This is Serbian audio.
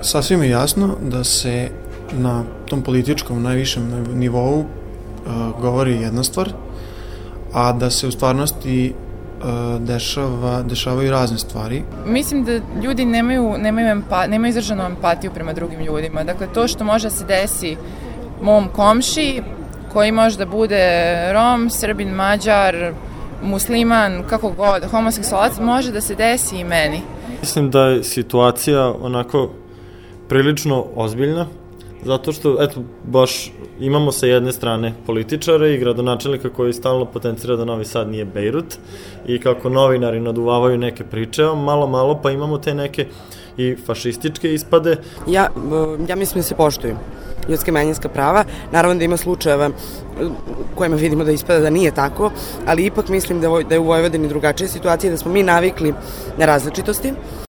Sasvim je jasno da se na tom političkom najvišem nivou govori jedna stvar, a da se u stvarnosti dešavaju razne stvari. Mislim da ljudi nemaju izraženu empatiju prema drugim ljudima. Dakle, to što može da se desi mom komši, koji može da bude Rom, Srbin, Mađar, musliman, kako god, homoseksualac, može da se desi i meni. Mislim da je situacija onako prilično ozbiljna, zato što, eto, baš imamo sa jedne strane političare i gradonačelnika koji stalno potencira da Novi Sad nije Bejrut i kako novinari naduvavaju neke priče, a malo pa imamo te neke i fašističke ispade. Ja mislim da se poštuju ljudska i manjinska prava. Naravno da ima slučajeva kojima vidimo da ispada da nije tako, ali ipak mislim da je u Vojvodini drugačija situacija, da smo mi navikli na različitosti.